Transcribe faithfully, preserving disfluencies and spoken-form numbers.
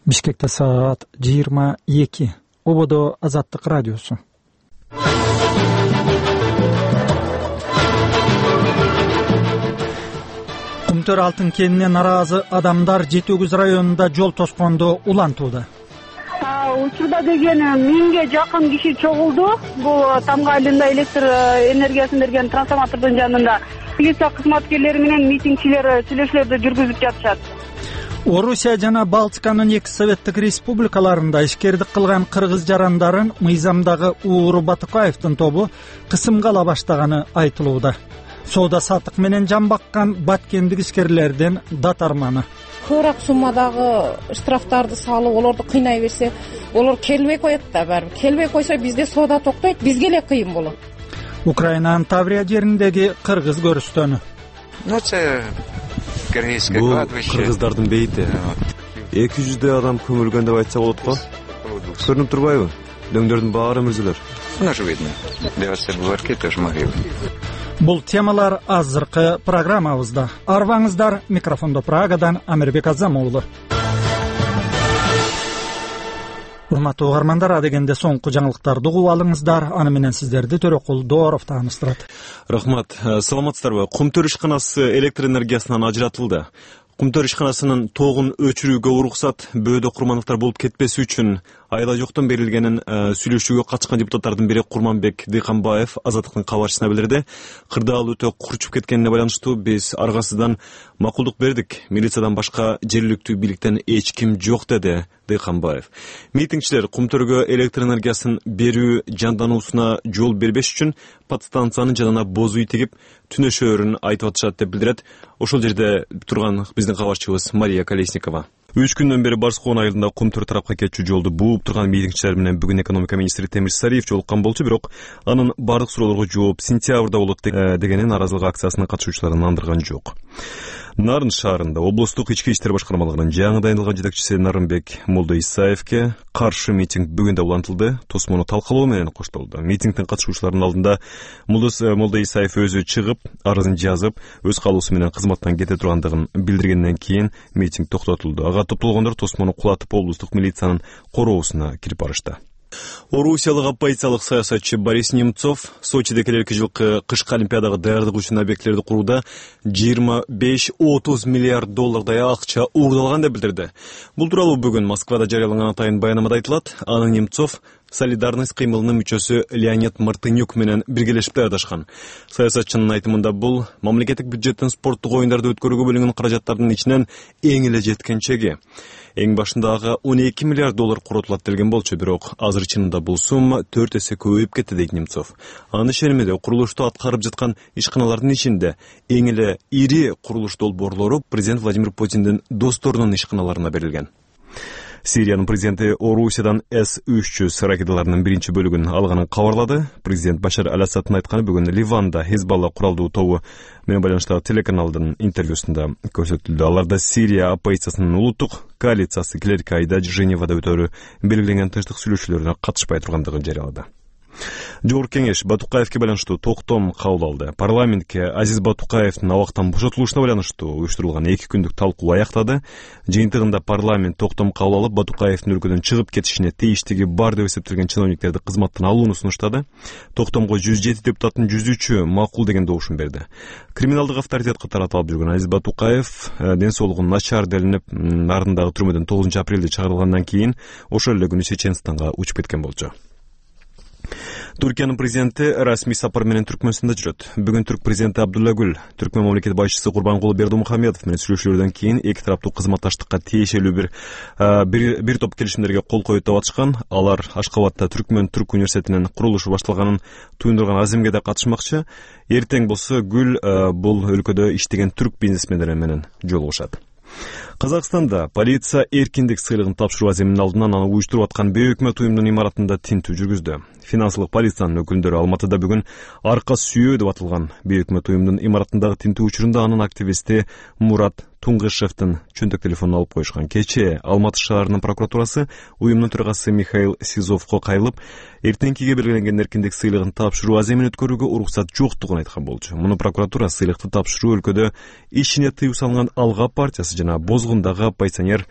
Бишкекте саат жыйырма эки. Ободо Азаттык радиосу. Кумтөр алтын кенинне наразы адамдар Жети Өгүз районунда жол тоскондо улантууда. Учурда деген миңге жакын киши чогулду. Бул Тамга айылында электр энергиясын берген трансформатордун жанында. Милиция кызматкерлери менен митингчилер сүйлөшүүлөрдү жүргүзүп жатышат. Орусия жана Балтиканын эки советтик республикаларында ишкердик кылган кыргыз жарандарын мыйзамдагы Ууру Батукаевдин тобу кысымга ала баштаганы айтылууда. Соода саттык менен жан баккан баткендик ишкерлердин датарманы. Көбүрөөк суммадагы штрафтарды салып, олорду кыйнай берсе, олор келбей коет да, барып. Келбей койсо бизде соода токтойт, бизге эле кыйын болот. Украинанын Таврия жериндеги кыргыз көрүстөнү. Бул кыргыздардын бейти. эки жүздөй адам көмүлгөн деп айтса болот го. Көрүнүп турбайбы? Дөңдөрдүн баары мүрзүлөр. Бул темалар азыркы программабызда. Арбаңыздар, микрофондо Прагадан Амирбек Азамуулу. Урматтуу угармандар, адегенде соңку жаңылыктарды угуп алыңыздар. Аны менен сиздерди Төрөкул Дооров тааныштырат. Рахмат. Саламатсыздарбы? Кумтөр ишканасы электр энергиясынан ажыратылды. Кумтөр ишканасынын тогун өчүрүүгө уруксат бөөдө курмандыктар болуп кетпеси үчүн айла жоктон берилгенин сүйлөшүүгө катышкан депутаттардын бири Курманбек Дыйканбаев Азаттыктын кабарчысына билдирди. Кырдаал өтө курчуп кеткенине байланыштуу биз аргасыздан макулдук бердик. Милициядан башка жергиликтүү бийликтен эч ким жок, деди Дыйканбаев. Митингчилер Кумтөргө электр энергиясын берүү жандануусуна жол бербеш үчүн подстанциянын жанына боз үй тигип түнөшөөрүн айтып атышат деп билдирет. Ошол жерде турган биздин кабарчыбыз Мария Колесникова. Үч күндөн бери Барскоон айылында Кумтөр тарапка кетчү жолду бууп турган митингчилер менен бүгүн экономика министри Темир Сариев жолуккан болчу, бирок анын бардык суроолорго жооп сентябрда болот дегенин наразылык акциясынын катышуучуларын андырган жок. Нарын шаарында облустук ички иштер башкармалыгынын жаңы дайындалган жетекчиси Нарынбек Молдо Исаевке каршы митинг бүгүн да улантылды. Тосмону талкалоо менен коштолду. Митингдин катышуучуларынын алдында Молдо Исаев өзү чыгып, арызын жазып, өз каалоосу менен кызматтан кете тургандыгын билдиргенден кийин митинг токтотулду. Ага топтолгондор тосмону кулатып облустук милициянын короосуна кирип барышты. Орусиялык оппозициялык саясатчы Борис Немцов Сочиде келерки жылкы кышкы олимпиадага даярдык үчүн объектилерди курууда жыйырма беш отуз миллиард доллардай акча уурдалган деп билдирди. Бул тууралуу бүгүн Москвада жарыяланган атайын баянамада айтылат. Аны Немцов Солидарность кыймылынын мүчөсү Леонид Мартынюк менен биргелешип даярдашкан. Саясатчынын айтымында бул мамлекеттик бюджеттен спорттук оюндарды өткөрүүгө бөлүнгөн каражаттардын ичинен эң эле жеткен чеги. Эң башындагы он эки миллиард доллар коротулат делген болчу, бирок азыр чынында бул сумма төрт эсе көбөйүп кетти, дейт Немцов. Анын ишениминде курулушту аткарып жаткан ишканалардын ичинде эң эле ири курулуш долбоорлору президент Владимир Путиндин досторунун ишканаларына берилген. Сириянын президенти Орусиядан эс үч жүз ракеталарынын биринчи бөлүгүн алганын кабарлады. Президент Башар Аль-Асадтын айтканы бүгүн Ливанда Хизбалла куралдуу тобу менен байланыштагы телеканалдын интервьюсунда көрсөтүлдү. Аларда Сирия оппозициясынын улуттук коалициясы келерки айда Женевада өтөрү белгиленген тынчтык сүйлөшүүлөрүнө катышпай тургандыгын жарыялады. Жогорку кеңеш Батукаевке байланыштуу токтом кабыл алды. Парламентке Азиз Батукаевдин абактан бошотулушуна байланыштуу уюштурулган эки күндүк талкуу аяктады. Жыйынтыгында парламент токтом кабыл алып, Батукаевдин өлкөдөн чыгып кетишине тийиштиги бар деп эсептелген чиновниктерди кызматтан алууну сунуштады. Токтомго жүз жети депутаттын жүз үчү макул деген добушун берди. Криминалдык авторитетке таратылып жүргөн Азиз Батукаев ден соолугу начар делинип, Нарындагы түрмөдөн тогузунчу апрелде чыгарылгандан кийин ошол эле күнү Чеченстанга учуп кеткен болчу. Түркиянын президенти расмий сапар менен Түркмөнстанда жүрөт. Бүгүн түрк президенти Абдулла Гүл, Түркмөн мамлекет башчысы Курбанкулу Бердымухамедов менен сүйлөшүүлөрдөн кийин эки тараптуу кызматташтыкка тиешелүү бир бир, бир топ келишимдерге кол коюп атышкан. Алар Ашкабадта Түркмөн Түрк университетинин курулушу башталганын туюндурган аземге да катышмакчы. Эртең болсо Гүл бул өлкөдө иштеген түрк бизнесмендери менен жолугушат. Казакстанда полиция эркиндик сыйлыгын тапшыруу аземинин алдынан аны уюштуруп аткан бейөкмөт уюмдун имаратында тинтүү жүргүздү. Финансылык полициянын өкүлдөрү Алматыда бүгүн арка сүйөө деп аталган бейөкмөт уюмдун имаратындагы тинтүү учурунда анын активисти Мурат Туңгышевдин чөнтөк телефонун алып коюшкан. Кечээ Алматы шаарынын прокуратурасы уюмдун төрагасы Михаил Сизовго кайрылып, эртеңкиге белгиленген эркиндик сыйлыгын тапшыруу аземин өткөрүүгө уруксат жоктугун айткан болчу. Муну прокуратура сыйлыкты тапшыруу өлкөдө ишине тыюу салынган Алга партиясы жана Бозгул кузгундагы оппозиционер